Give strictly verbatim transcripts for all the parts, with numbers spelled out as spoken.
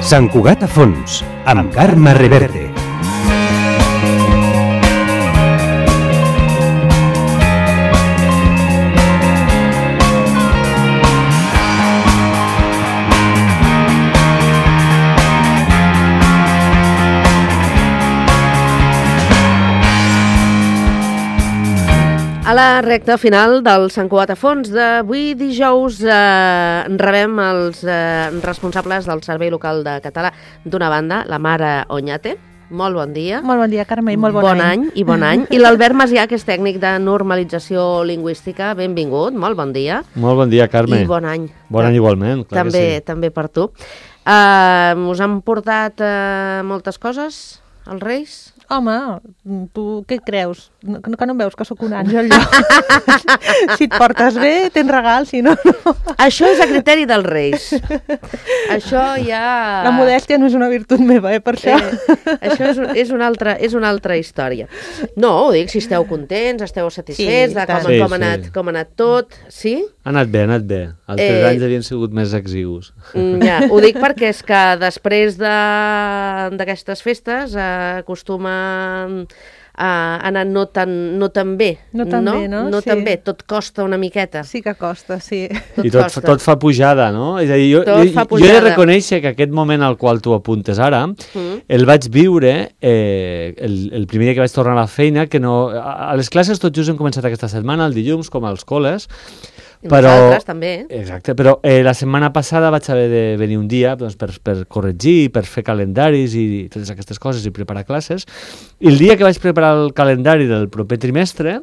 Sant Cugat a fons, amb Carme Reverte. A la recta final del Sant Cugat a fons d'avui dijous eh, rebem els eh, responsables del Servei Local de Català d'una banda, la Mara Oñate. Molt bon dia. Molt bon dia, Carme, i molt bon, bon any. any. I bon any. I l'Albert Macià, que és tècnic de normalització lingüística. Benvingut, molt bon dia. Molt bon dia, Carme. I bon any. Bon any igualment, clar també, que sí. També per tu. Uh, us han portat uh, moltes coses, els Reis? Home, tu què creus? No, que no em veus que sóc un àngel, jo? Si et portes bé, tens regal, si no, no. Això és a criteri dels Reis. Això ja... La modèstia no és una virtut meva, eh, per això. Eh, això és, és, una altra, és una altra història. No, ho dic, si esteu contents, esteu satisfets, sí, de com, sí, com, ha anat, sí. com ha anat tot, sí? Ha anat bé, ha anat bé. Els tres Eh, anys havien sigut més exigus. Ja, ho dic perquè és que després d'aquestes de, festes eh, acostuma a anar no tan, no tan bé. No tan no? bé, no? No Sí. tan bé, tot costa una miqueta. Sí que costa, sí. Tot I tot, costa. tot fa pujada, no? És a dir, jo, Tot jo, fa jo he de pujada. reconèixer que aquest moment al qual tu apuntes ara, Mm. el vaig viure eh, el, el primer dia que vaig tornar a la feina, que no... A, a les classes tot just hem començat aquesta setmana, el dilluns, com als col·les, I però... nosaltres també. Exacte, però eh, la setmana passada vaig haver de venir un dia doncs, per, per corregir, per fer calendaris i totes aquestes coses i preparar classes. I el dia que vaig preparar el calendari del proper trimestre,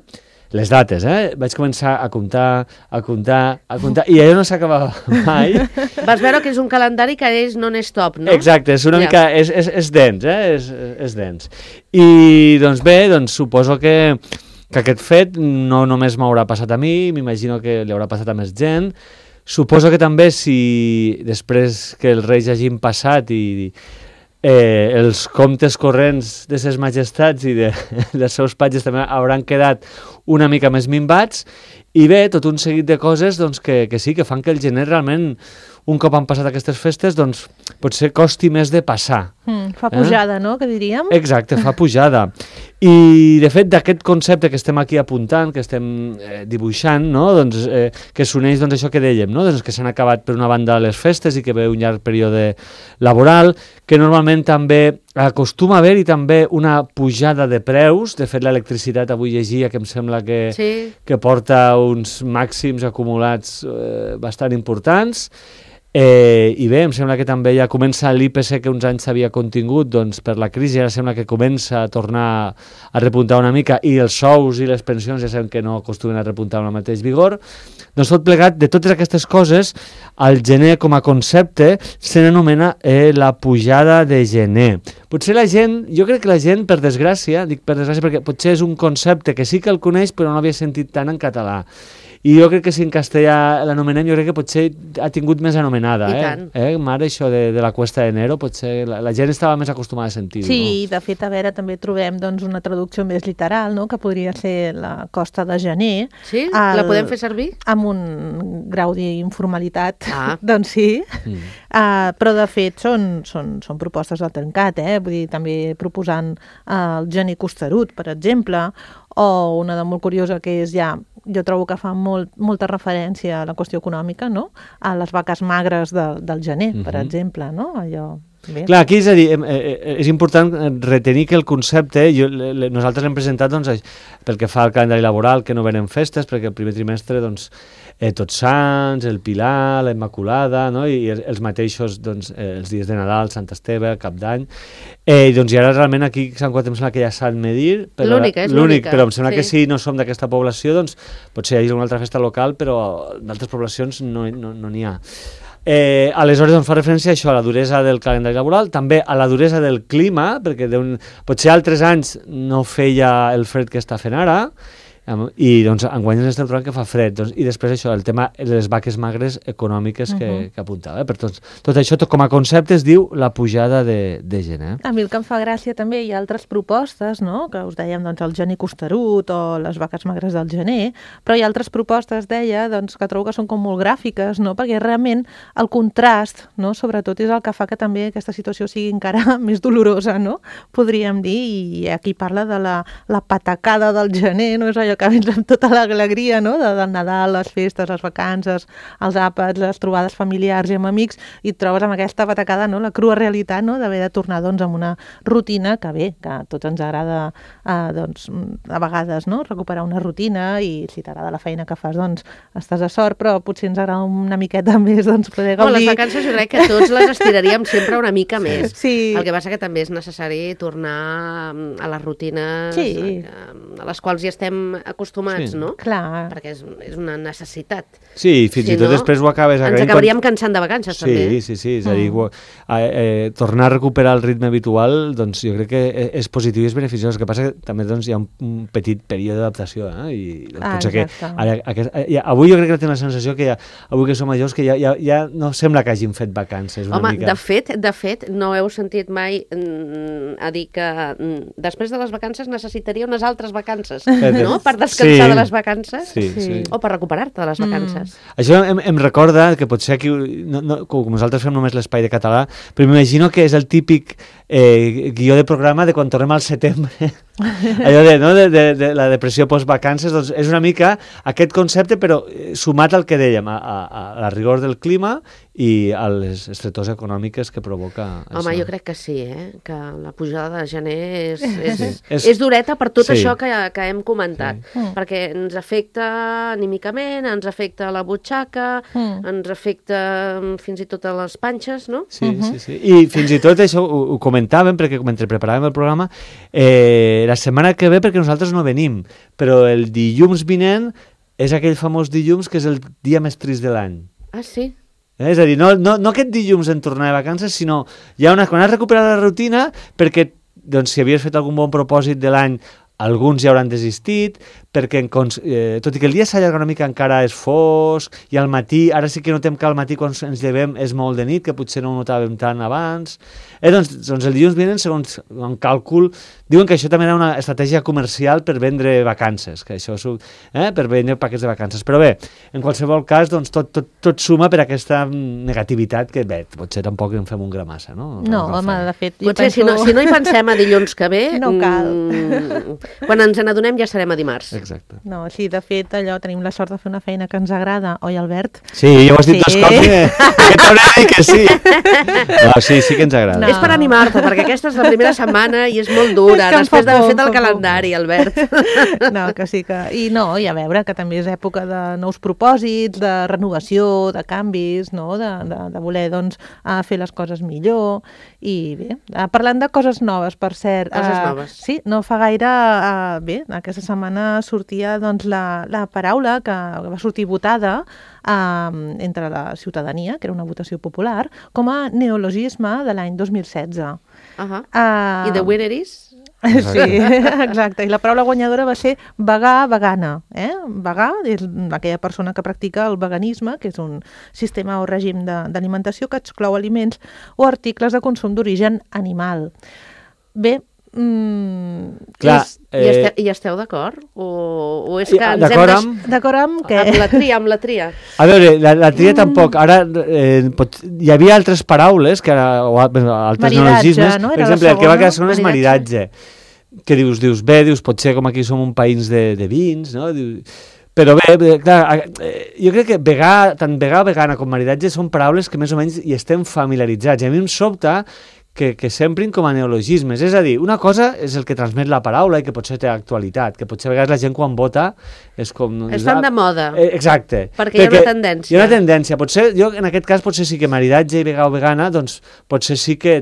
les dates, eh? Vaig començar a comptar, a comptar, a comptar, i allò no s'acabava mai. Vas veure que és un calendari que és non-stop, no? Exacte, és una Ja. mica, és, és, és dens, eh? És, és dens. I doncs bé, doncs suposo que que aquest fet no només m'haurà passat a mi, m'imagino que li haurà passat a més gent. Suposo que també si després que els reis hagin passat i eh, els comptes corrents de ses majestats i de, dels seus patges també hauran quedat una mica més minvats, i bé, tot un seguit de coses doncs, que, que sí, que fan que el gener realment, un cop han passat aquestes festes, doncs potser costi més de passar. Mm, fa pujada, eh? No?, que diríem. Exacte, fa pujada. I, de fet, d'aquest concepte que estem aquí apuntant, que estem eh, dibuixant, no? Doncs, eh, que s'uneix doncs, això que dèiem, no? Doncs que s'han acabat per una banda les festes i que ve un llarg període laboral, que normalment també acostuma a haver-hi també una pujada de preus. De fet, l'electricitat avui llegia que em sembla que, Sí. que porta uns màxims acumulats eh, bastant importants. Eh, I bé, em sembla que també ja comença l'I P C que uns anys s'havia contingut doncs, per la crisi, ara sembla que comença a tornar a repuntar una mica, i els sous i les pensions ja sabem que no acostumen a repuntar amb el mateix vigor. Doncs tot plegat, de totes aquestes coses, el gener com a concepte se n'anomena eh, la pujada de gener. Potser la gent, jo crec que la gent, per desgràcia, dic per desgràcia perquè potser és un concepte que sí que el coneix però no l'havia sentit tant en català. I jo crec que si en castellà l'anomenem, jo crec que potser ha tingut més anomenada. I eh? tant. Eh, Mare, això de, de la Cuesta de Enero, potser la, la gent estava més acostumada a sentir-ho. Sí, no? i de fet, a veure, també trobem doncs, una traducció més literal, no?, que podria ser la Costa de Gener. Sí? El- La podem fer servir? Amb un grau d'informalitat, Ah. doncs sí. Mm. Uh, però de fet són, són, són propostes al trencat, eh? Vull dir, també proposant uh, el gener costerut, per exemple, o una de molt curiosa que és ja, jo trobo que fa molt, molta referència a la qüestió econòmica, no?, a les vaques magres de, del gener, uh-huh. per Mhm. exemple, no?, allò... Bé. Clar, aquí és a dir, eh, eh, és important retenir que el concepte, jo, le, le, nosaltres l'hem presentat doncs, pel que fa al calendari laboral, que no venen festes, perquè el primer trimestre, doncs, eh, Tots Sants, el Pilar, la Immaculada, no? I, i els mateixos, doncs, eh, els dies de Nadal, Sant Esteve, Cap d'Any, eh, i, doncs, i ara realment aquí a Sant Cugat em sembla que hi ha Sant Medir, però, L'única, és l'únic, l'única, però em sembla sí. que si no som d'aquesta població, doncs, potser hi ha una altra festa local, però d'altres poblacions no n'hi no, no n'hi ha. Eh, aleshores doncs, fa referència a això, a la duresa del calendari laboral, també a la duresa del clima, perquè d'un, potser altres anys no feia el fred que està fent ara, I doncs enguany ens estem trobant que fa fred. Doncs, I després això, el tema de les vaques magres econòmiques que, uh-huh. que apuntava. Eh? Per tot, tot això, tot com a concepte, es diu la pujada de, de gent. Eh? A mi el que em fa gràcia també hi ha altres propostes, no? Que us dèiem doncs, el gener costerut o les vaques magres del gener, però hi ha altres propostes, deia, doncs, que trobo que són com molt gràfiques, no? Perquè realment el contrast, no? Sobretot, és el que fa que també aquesta situació sigui encara més dolorosa, no? Podríem dir, i aquí parla de la, la patacada del gener, no? És allò que vens amb tota l'alegria, no? De, del Nadal, les festes, les vacances, els àpats, les trobades familiars i amb amics, i et trobes amb aquesta patacada, no? La crua realitat, no? D'haver de tornar doncs, amb una rutina que bé, que a tots ens agrada eh, doncs, a vegades no? Recuperar una rutina, i si t'agrada la feina que fas, doncs estàs a sort, però potser ens agrada una miqueta més doncs, poder gaudir. No, les vacances jo crec que tots les estiraríem sempre una mica més. Sí. El que passa que també és necessari tornar a les rutines sí. a, a les quals ja estem acostumats, sí. no? Clar. Perquè és, és una necessitat. Sí, fins si i tot no, després ho acabes agraint. Ens acabaríem quan... cansant de vacances, sí, també. Sí, sí, sí. És a dir, mm. eh, eh, tornar a recuperar el ritme habitual, doncs jo crec que és positiu i és beneficiós. El que passa que també doncs, hi ha un, un petit període d'adaptació. Eh? I doncs, ah, potser que ara, aquest, ja, avui jo crec que tinc la sensació que ja, avui que som majors que ja, ja, ja no sembla que hagin fet vacances una Home, mica. de fet, de fet, no heu sentit mai mm, a dir que mm, després de les vacances necessitaria unes altres vacances, no? Per descansar sí. de les vacances sí, sí. o per recuperar-te de les vacances. Mm. Això em, em recorda que potser aquí, no, no, com nosaltres fem només l'espai de català, però m'imagino que és el típic eh, guió de programa de quan tornem al setembre. Allò de, no, de, de, de la depressió post-vacances, doncs és una mica aquest concepte, però sumat al que dèiem, a, a, a la rigor del clima i a les estretors econòmiques que provoca Home, això. jo crec que sí, eh? Que la pujada de gener és, és, sí. és, és dureta per tot sí. això que, que hem comentat, sí. perquè ens afecta anímicament, ens afecta la butxaca, mm. ens afecta fins i tot a les panxes, no? Sí, uh-huh. sí, sí. I fins i tot això ho, ho comentàvem, perquè mentre preparàvem el programa, eh, la setmana que ve, perquè nosaltres no venim, però el dilluns vinent és aquell famós dilluns que és el dia més trist de l'any. Ah, sí? Eh? És a dir, no, no, no aquest dilluns en tornar de vacances, sinó ja una, quan has recuperat la rutina, perquè doncs, si havies fet algun bon propòsit de l'any, alguns ja hauran desistit, perquè en, eh, tot i que el dia s'allarga una mica encara és fosc, i al matí, ara sí que notem que al matí quan ens llevem és molt de nit, que potser no ho notàvem tant abans. Eh, doncs, doncs el dilluns vinent, segons un càlcul, diuen que això també era una estratègia comercial per vendre vacances, que això, eh, per vendre paquets de vacances. Però bé, en qualsevol cas, doncs, tot, tot, tot suma per aquesta negativitat que, bé, potser tampoc en fem un gra massa, no? No, home, de fet... Potser penso... si, no, si no hi pensem a dilluns que ve, no cal. Mm, quan ens n'adonem ja serem a dimarts. Exacte. No, sí, de fet, allò, tenim la sort de fer una feina que ens agrada, oi, Albert? Sí, ja ho has dit sí. dos cops, eh? que t'hauré de dir que sí. No, sí, sí que ens agrada. No. És per animar-te, perquè aquesta és la primera setmana i és molt dura, és després d'haver fet el calendari, Albert. No, que sí que... I no, i a veure, que també és època de nous propòsits, de renovació, de canvis, no? de, de, de voler, doncs, fer les coses millor. I bé, parlant de coses noves, per cert... Coses uh, noves. Sí, no fa gaire... Uh, bé, aquesta setmana sortia doncs, la, la paraula que va sortir votada uh, entre la ciutadania, que era una votació popular, com a neologisme de l'any dos mil setze. Uh -huh. uh, I the winner is? Sí, exacte. I la paraula guanyadora va ser vegà, vegana. Eh? Vegà és aquella persona que practica el veganisme, que és un sistema o règim d'alimentació que exclou aliments o articles de consum d'origen animal. Bé, Mm, clar, és, eh... I esteu, i esteu d'acord? O, o és que ens d'acord hem amb... D'acord amb què? Amb la tria, amb la tria. A veure, la, la tria mm. tampoc. Ara, eh, pot... hi havia altres paraules, que ara, o altres neologismes. No? Per exemple, el que va quedar segon és maridatge. Que dius, dius, bé, dius, potser com aquí som un país de, de vins, no? Dius... Però bé, clar, jo crec que vegà, tant vegà, vegana com maridatge són paraules que més o menys hi estem familiaritzats. I a mi em sobta que, que s'emprin com a neologismes. És a dir, una cosa és el que transmet la paraula i que potser té actualitat, que potser a vegades la gent quan vota és com... Estan de moda. Eh, exacte. Perquè, perquè hi ha una tendència. Hi ha una tendència. Potser, jo en aquest cas, potser sí que maridatge i vegà o vegana, doncs potser sí que,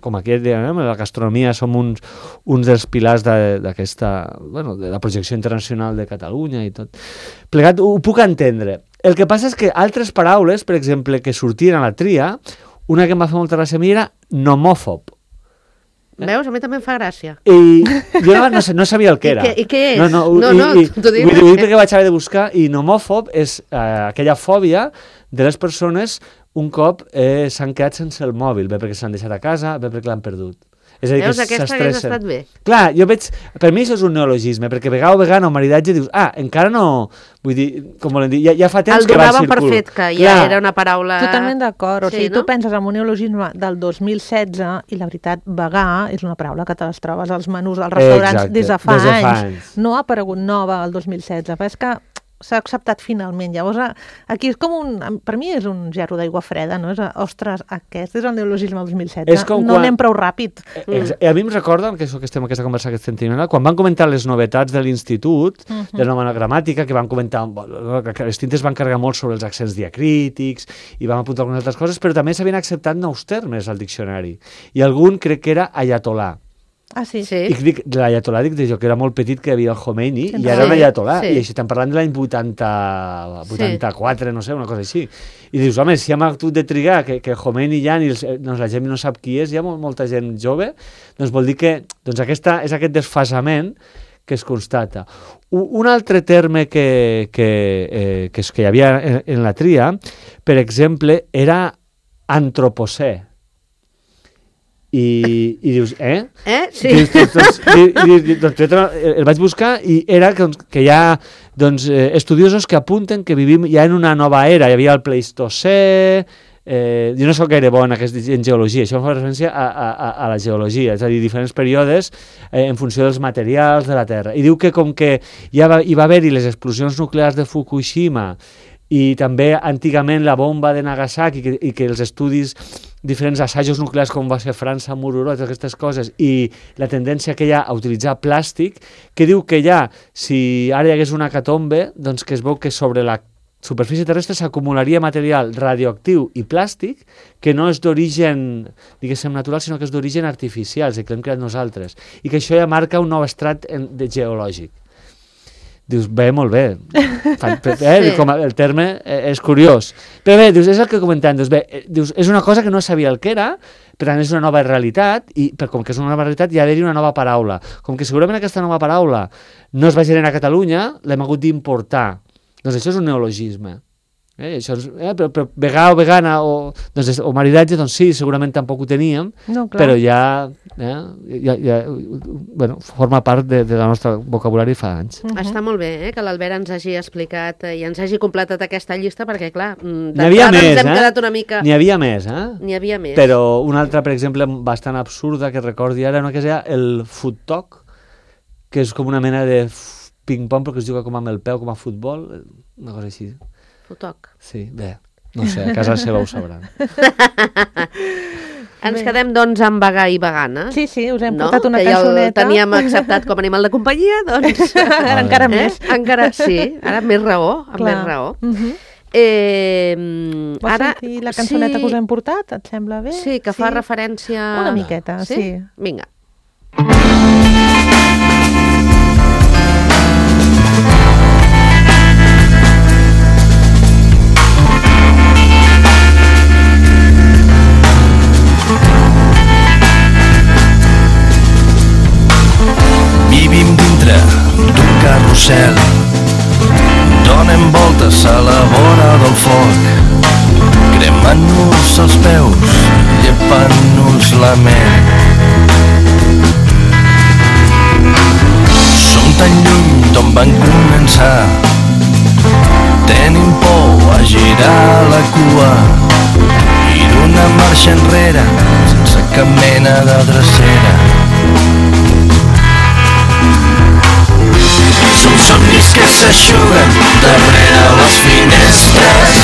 com aquí dèiem, la gastronomia som uns, uns dels pilars d'aquesta, bueno, de la projecció internacional de Catalunya i tot. Plegat, ho puc entendre. El que passa és que altres paraules, per exemple, que sortien a la tria, una que em va fer molta gràcia a mi era nomòfob. Veus? A mi també em fa gràcia. I jo no, no, no sabia el que era. I què, i què és? No, no, no, i, no i, t'ho dic. Vull dir perquè vaig haver de buscar, i nomòfob és uh, aquella fòbia de les persones un cop eh, s'han quedat sense el mòbil, bé perquè s'han deixat a casa, bé perquè l'han perdut. És a dir, Veus, que aquesta hagués s'estressen. estat bé. Clar, jo veig... Per mi això és un neologisme, perquè vegà o vegana o maridatge dius, ah, encara no... Vull dir, com volen dir, ja, ja fa temps el que va donaven al per circul. fet, que ja Clar. era una paraula... Totalment d'acord. O Sí, sigui, no? tu penses en un neologisme del dos mil setze i la veritat, vegà és una paraula que te les trobes als menús dels restaurants Exacte, des de fa des de fa anys. anys. No ha aparegut nova el dos mil setze, però és que s'ha acceptat finalment. Llavors, aquí és com un... Per mi és un gerro d'aigua freda, no? És, ostres, aquest és el neologisme del dos mil setze. És com no quan- anem prou ràpid. Mm. A mi em recorden, que això que estem en aquesta conversa que estem tenint, quan van comentar les novetats de l'institut, uh -huh. de la nova gramàtica, que van comentar, bueno, que les tintes van carregar molt sobre els accents diacrítics, i van apuntar algunes altres coses, però també s'havien acceptat nous termes al diccionari. I algun crec que era ayatolà. Ah, sí? Sí. I dic, de l'ayatolà dic jo, que era molt petit, que hi havia el Khomeini, Sí, i ara un ayatolà, sí. i així estem parlant de l'any vuitanta, vuitanta-quatre, no sé, una cosa així. I dius, home, si hem hagut de trigar que, que Khomeini ja ni els, doncs la gent no sap qui és, hi ha molt, molta gent jove, doncs vol dir que doncs aquesta, és aquest desfasament que es constata. Un, un altre terme que, que, eh, que, és, que hi havia en, en la tria, per exemple, era antropocè. I, i dius, eh? Eh? Sí. Dius, doncs, doncs, di- di- di- doncs, jo el vaig buscar i era que, que hi ha doncs, eh, estudiosos que apunten que vivim ja en una nova era. Hi havia el Pleistocè, eh, jo no soc gaire bo en, aquest, en geologia, això em fa referència a, a, a la geologia, és a dir, diferents períodes eh, en funció dels materials de la Terra. I diu que com que ja va, hi va haver-hi les explosions nuclears de Fukushima i també antigament la bomba de Nagasaki, que, i que els estudis, diferents assajos nuclears com va ser França, Mururó, totes aquestes coses, i la tendència que hi ha a utilitzar plàstic, que diu que ja, si ara hi hagués una hecatombe, doncs que es veu que sobre la superfície terrestre s'acumularia material radioactiu i plàstic que no és d'origen, diguéssim, natural, sinó que és d'origen artificial, és a dir, que l'hem creat nosaltres, i que això ja marca un nou estrat en, de geològic. Dius, bé, molt bé. Fan, eh, Sí. com el terme eh, és curiós. Però bé, dius, és el que comentem. Dius, bé, eh, dius, és una cosa que no sabia el que era, per tant és una nova realitat, i per com que és una nova realitat hi ha d'haver-hi una nova paraula. Com que segurament aquesta nova paraula no es va generar a Catalunya, l'hem hagut d'importar. Doncs això és un neologisme. Eh, això és, eh, però, però vegà o vegana o, doncs, o maridatge, doncs sí, segurament tampoc ho teníem, No, clar. però ja, eh, ja, ja bueno, forma part de, de la nostra vocabulari fa anys. Mhm. Està molt bé eh, que l'Albert ens hagi explicat eh, i ens hagi completat aquesta llista, perquè, clar, mm, N'hi havia d'entrada més, ens hem eh? quedat una mica... N'hi havia més, eh? N'hi havia més. Però una altra, per exemple, bastant absurda que recordi ara, una que és el foot talk, que és com una mena de f- ping-pong, però que es juga com amb el peu, com a futbol, una cosa així. Fotoc. Sí, bé, no sé, a casa seva ho sabran. Ens Bé. quedem, doncs, amb vegà i vegana. Sí, sí, us hem no? portat una que ja el cançoneta. teníem acceptat com a animal de companyia, doncs... Ara encara eh? més. Encara, sí, ara amb més raó, amb Clar. més raó. Mhm. Eh, Vols ara, sentir la cançoneta sí, que us hem portat? Et sembla bé? Sí, que fa referència... Una miqueta, sí. Vinga. Vivim dintre d'un carrusel, donem voltes a la vora del foc, cremant-nos els peus, llepant-nos la ment. Som tan lluny d'on van començar, tenim por a girar la cua i d'una marxa enrere sense cap mena de drecera. Som somnis que s'aixuguen darrere les finestres.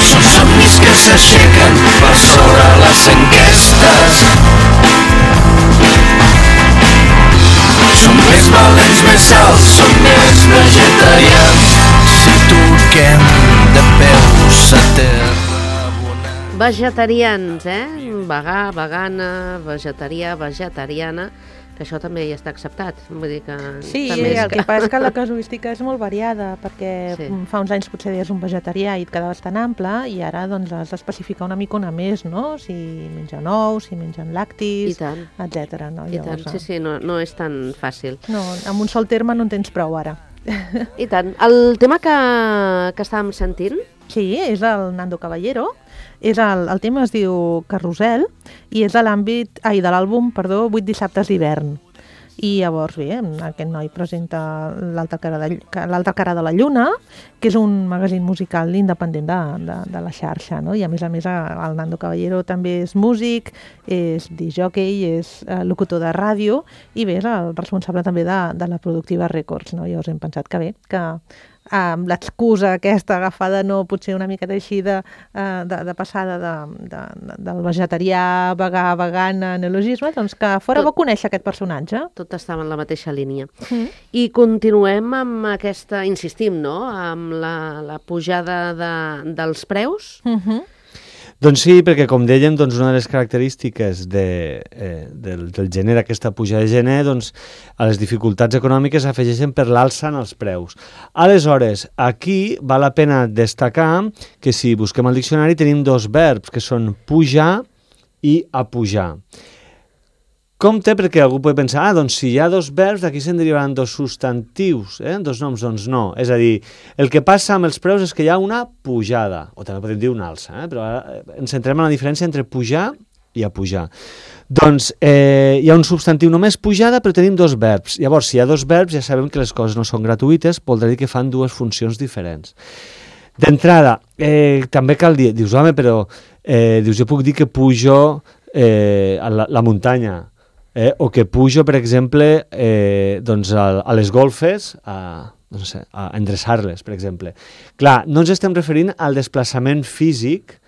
Som somnis que s'aixequen per sobre les enquestes. Som més valents, més alts, som més vegetarians. Si toquem de peus a terra abonant. Vegetarians, eh? Vegà, vegana, vegetarià, vegetariana. que això també hi està acceptat. Vull dir que... Sí, també el que passa és que la casuística és molt variada, perquè Sí. fa uns anys potser deies un vegetarià i et quedaves tan ample, i ara doncs has d'especificar una mica una més, no? Si mengen ous, si mengen I làctics, tant, etcètera. No? i tant. Llavors, Sí, sí, no, no és tan fàcil. No, amb un sol terme no en tens prou ara. I tant. El tema que, que estàvem sentint, Sí, és el Nando Caballero. És el, el tema es diu Carrusel i és de l'àmbit, ai, de l'àlbum, perdó, vuit dissabtes d'hivern. I llavors, bé, aquest noi presenta l'altra cara, de, l'altra cara de la lluna, que és un magazín musical independent de, de, de la xarxa, no? I a més a més el Nando Caballero també és músic, és discjòquei, és eh, locutor de ràdio i bé, és el responsable també de, de la Productiva Records, no? Llavors hem pensat que bé, que amb l'excusa aquesta agafada no potser una miqueta així de, de, de passada de, de, de, del vegetarià, vegà, vegana, neologisme, doncs que fora bo conèixer aquest personatge. tot estava en la mateixa línia. Mm. I continuem amb aquesta, insistim, no?, amb la, la pujada de, dels preus. Uh -huh. Doncs sí, perquè com dèiem, doncs una de les característiques de, eh, del, del gener, aquesta pujada de gener, doncs a les dificultats econòmiques s'afegeixen per l'alça en els preus. Aleshores, aquí val la pena destacar que si busquem al diccionari tenim dos verbs, que són pujar i apujar. Compte, perquè algú pot pensar, ah, doncs si hi ha dos verbs, d'aquí se'n derivaran dos substantius, eh? dos noms, doncs no. És a dir, el que passa amb els preus és que hi ha una pujada, o també podem dir una alça, eh? Però ara ens centrem en la diferència entre pujar i apujar. Doncs eh, hi ha un substantiu només pujada, però tenim dos verbs. Llavors, si hi ha dos verbs, ja sabem que les coses no són gratuïtes, voldrà dir que fan dues funcions diferents. D'entrada, eh, també cal dir, dius, home, però eh, dius, jo puc dir que pujo eh, a la, la muntanya, Eh, o que pujo, per exemple, eh, doncs a, a les golfes, a, no sé, a endreçar-les, per exemple. Clar, no ens estem referint al desplaçament físic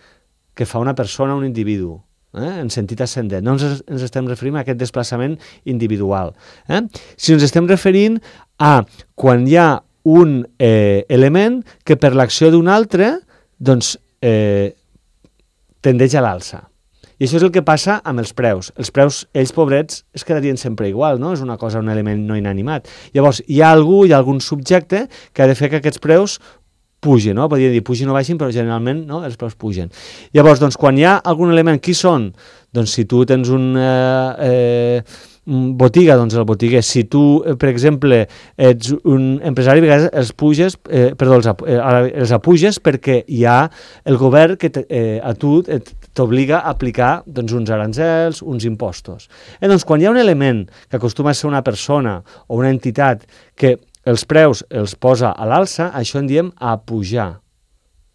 que fa una persona, un individu, eh, en sentit ascendent. No ens, ens estem referint a aquest desplaçament individual. Eh? Si ens estem referint a quan hi ha un eh, element que per l'acció d'un altre doncs, eh, tendeix a l'alça. I això és el que passa amb els preus. Els preus, ells pobrets, es quedarien sempre igual, no? És una cosa, un element no inanimat. Llavors, hi ha algú, hi ha algun subjecte que ha de fer que aquests preus pugin, no? Podríem dir pugin o baixin, però generalment no, els preus pugen. Llavors, doncs, quan hi ha algun element, qui són? Doncs si tu tens un... Eh, eh, botiga, doncs el botiguer. Si tu, per exemple, ets un empresari, a vegades els puges, eh, perdó, els, eh, els apuges perquè hi ha el govern que eh, a tu t'obliga a aplicar doncs, uns arancels, uns impostos. Eh, doncs, quan hi ha un element que acostuma a ser una persona o una entitat que els preus els posa a l'alça, això en diem apujar.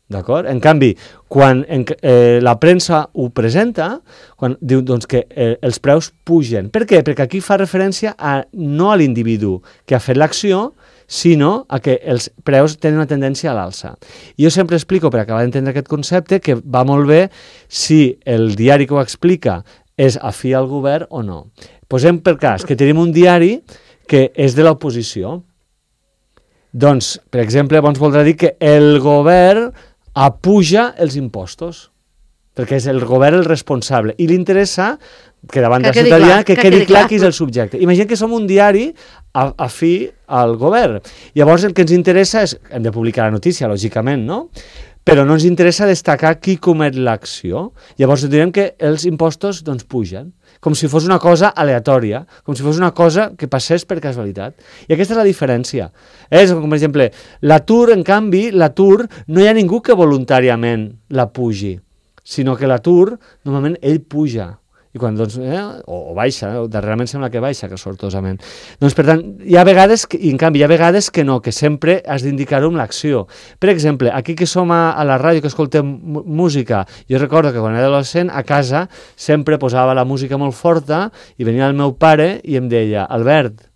D'acord? En canvi, quan en, eh, la premsa ho presenta, quan diu doncs, que eh, els preus pugen. Per què? Perquè aquí fa referència a, no a l'individu que ha fet l'acció, sinó a que els preus tenen una tendència a l'alça. Jo sempre explico, per acabar d'entendre aquest concepte, que va molt bé si el diari que ho explica és afí al govern o no. Posem per cas que tenim un diari que és de l'oposició. Doncs, per exemple, doncs voldrà dir que el govern apuja els impostos, perquè és el govern el responsable, i li interessa que davant que de la ciutadania que, que quedi quedi clar clar qui és el subjecte. Imagina que som un diari afí al govern. Llavors el que ens interessa és, hem de publicar la notícia, lògicament, no? Però no ens interessa destacar qui comet l'acció. Llavors direm que els impostos doncs, pugen, com si fos una cosa aleatòria, com si fos una cosa que passés per casualitat. I aquesta és la diferència. És com, per exemple, l'atur, en canvi, l'atur, no hi ha ningú que voluntàriament la pugi, sinó que l'atur, normalment, ell puja. I quan, doncs, eh, o, o baixa, eh, darrerament sembla que baixa, que sortosament. Doncs, per tant, hi ha vegades, que, i en canvi, hi ha vegades que no, que sempre has d'indicar-ho amb l'acció. Per exemple, aquí que som a, a la ràdio, que escoltem música, jo recordo que quan era adolescent, a casa sempre posava la música molt forta i venia el meu pare i em deia, Albert,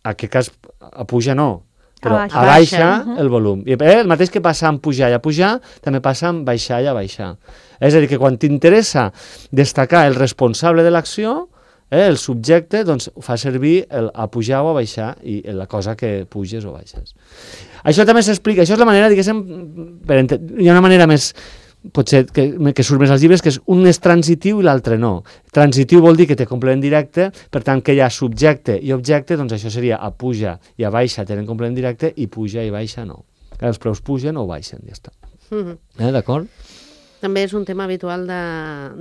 a què cas apuja no, però Abaixa. abaixa Abaixa. el volum. I, eh, el mateix que passa amb pujar i a pujar, també passa amb baixar i a baixar. És a dir, que quan t'interessa destacar el responsable de l'acció, eh, el subjecte, doncs fa servir el a pujar o a baixar i la cosa que puges o baixes. Això també s'explica, això és la manera, diguéssim, per ent... hi ha una manera més potser que, que surt més als llibres, que és un és transitiu i l'altre no. Transitiu vol dir que té complement directe, per tant que hi ha subjecte i objecte, doncs això seria a puja i a baixa tenen complement directe i puja i baixa no. Els preus pugen o baixen, ja està. Mm-hmm. Eh, d'acord? També és un tema habitual de,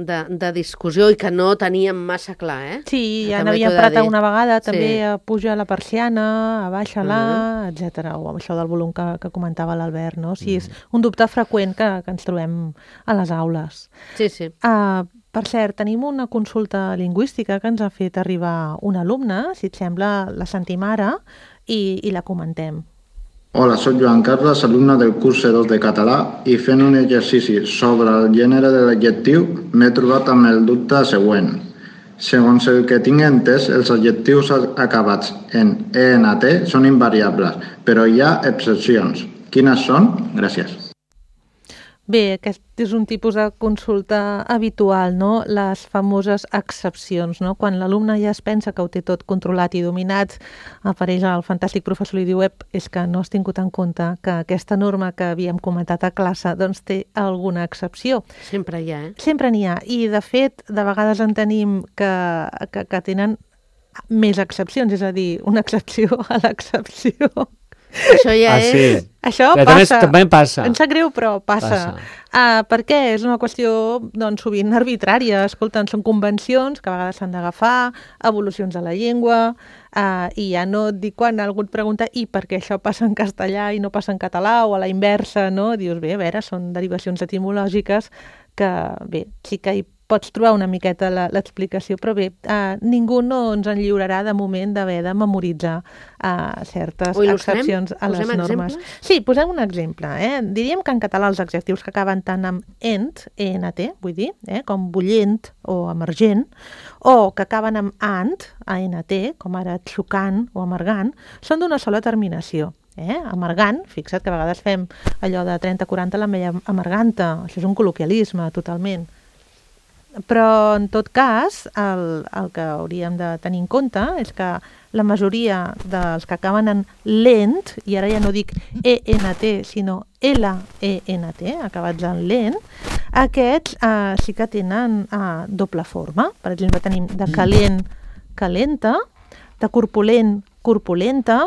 de, de discussió i que no teníem massa clar, eh? Sí, ja També n'havíem t'ho he de parlat dir. una vegada, també Sí. a puja la persiana, a baixa-la, Mhm. etcètera, o amb això del volum que, que comentava l'Albert, no? O sigui, és un dubte freqüent que, que ens trobem a les aules. Sí, sí. Uh, per cert, tenim una consulta lingüística que ens ha fet arribar un alumne, si et sembla, la sentim ara i, i la comentem. Hola, soc Joan Carles, alumne del curs C dos de català i fent un exercici sobre el gènere de l'adjectiu m'he trobat amb el dubte següent. Segons el que tinc entès, els adjectius acabats en ent són invariables, però hi ha excepcions. Quines són? Gràcies. Bé, aquest és un tipus de consulta habitual, no? Les famoses excepcions, no? Quan l'alumne ja es pensa que ho té tot controlat i dominat, apareix el fantàstic professor i diu ep, és que no has tingut en compte que aquesta norma que havíem comentat a classe doncs té alguna excepció. Sempre hi ha, eh? Sempre n'hi ha, i de fet, de vegades en tenim que, que, que tenen més excepcions, és a dir, una excepció a l'excepció. Això ja Ah, sí. és... Això Però també, passa. també passa. Em sap greu, però passa. Passa. Uh, per què? És una qüestió, doncs, sovint arbitrària. Escolta, són convencions que a vegades s'han d'agafar, evolucions de la llengua, uh, i ja no et dic quan algú et pregunta i per què això passa en castellà i no passa en català, o a la inversa, no? Dius, bé, a veure, són derivacions etimològiques que, bé, sí que hi pots trobar una miqueta la- l'explicació, però bé, uh, ningú no ens en lliurarà de moment d'haver de memoritzar uh, certes Ho il·lustrem? excepcions a les Posem normes. exemples? Sí, posem un exemple. Eh? Diríem que en català els adjectius que acaben tant amb ent, ent, vull dir, eh? com bullent o emergent, o que acaben amb ant, ant, com ara xocant o amargant, són d'una sola terminació. Eh? Amargant, fixa't que a vegades fem allò de trenta quaranta l'ametlla amarganta, això és un col·loquialisme totalment. Però, en tot cas, el, el que hauríem de tenir en compte és que la majoria dels que acaben en lent, i ara ja no dic ent, sinó lent, acabats en lent, aquests eh, sí que tenen eh, doble forma. Per exemple, tenim de calent, calenta, de corpulent, corpulenta,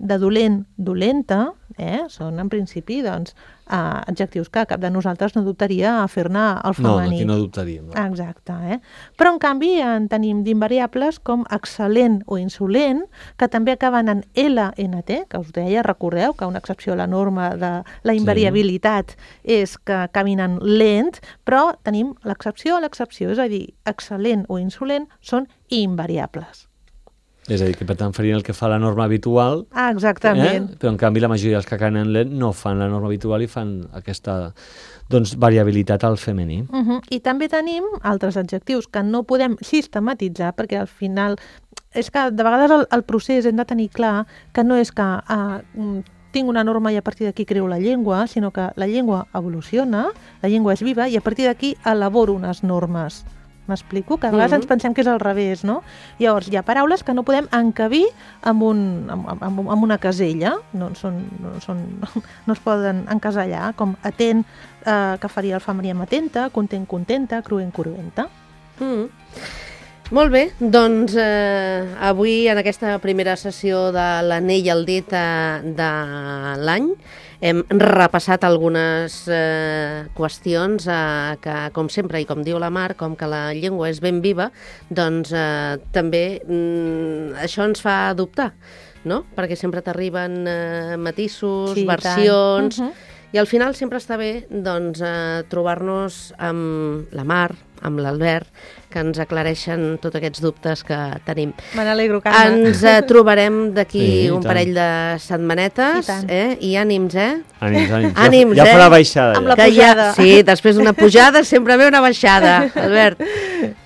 de dolent, dolenta, eh? Són en principi doncs, eh, adjectius que cap de nosaltres no dubtaria a fer-ne el No, femení. aquí no dubtaríem. No. Exacte, eh? Però en canvi en tenim d'invariables com excel·lent o insolent, que també acaben en lent, que us deia, recordeu que una excepció a la norma de la invariabilitat és que acabin en lent, però tenim l'excepció a l'excepció, és a dir, excel·lent o insolent són invariables. És a dir, que per tant farien el que fa la norma habitual, Ah, exactament. eh? Però en canvi la majoria dels que acaben en lent no fan la norma habitual i fan aquesta doncs, variabilitat al femení. Uh -huh. I també tenim altres adjectius que no podem sistematitzar perquè al final és que de vegades el, el procés hem de tenir clar que no és que uh, tinc una norma i a partir d'aquí creo la llengua, sinó que la llengua evoluciona, la llengua és viva i a partir d'aquí elaboro unes normes. M'explico? Que a vegades Mhm. ens pensem que és al revés, no? Llavors, hi ha paraules que no podem encabir amb, un, amb, amb, amb una casella, no, són, no, són, no es poden encasellar, com atent, eh, que faria el femení amb atenta, content, contenta, cruent, cruenta. Mm. Molt bé, doncs eh, avui en aquesta primera sessió de l'anell al dit eh, de l'any hem repassat algunes eh, qüestions eh, que, com sempre, i com diu la Mar, com que la llengua és ben viva, doncs eh, també mm, això ens fa dubtar, no? Perquè sempre t'arriben eh, matisos, Sí, i tant. versions, Mhm. i al final sempre està bé doncs, eh, trobar-nos amb la Mar, amb l'Albert, que ens aclareixen tots aquests dubtes que tenim. Me n'alegro, Carme. Ens eh, trobarem d'aquí Sí, i un tant. parell de setmanetes, I tant. eh? I ànims, eh? Ànims, ànims. Ànims, ja, ja eh? farà baixada. Amb Ja. la Que ja, pujada. sí, després d'una pujada sempre ve una baixada, Albert.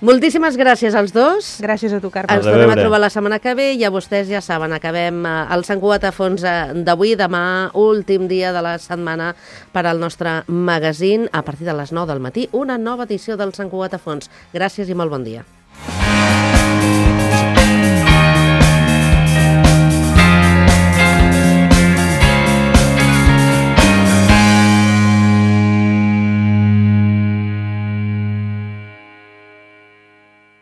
Moltíssimes gràcies als dos. Gràcies a tu, Carme. Ens A tornem a reveure. trobar la setmana que ve i a vostès ja saben, acabem eh, el Sant Cugat a fons eh, d'avui, demà, últim dia de la setmana per al nostre magazín, a partir de les nou del matí, una nova edició del Sant Cugat a fons. Gràcies i molt bon dia.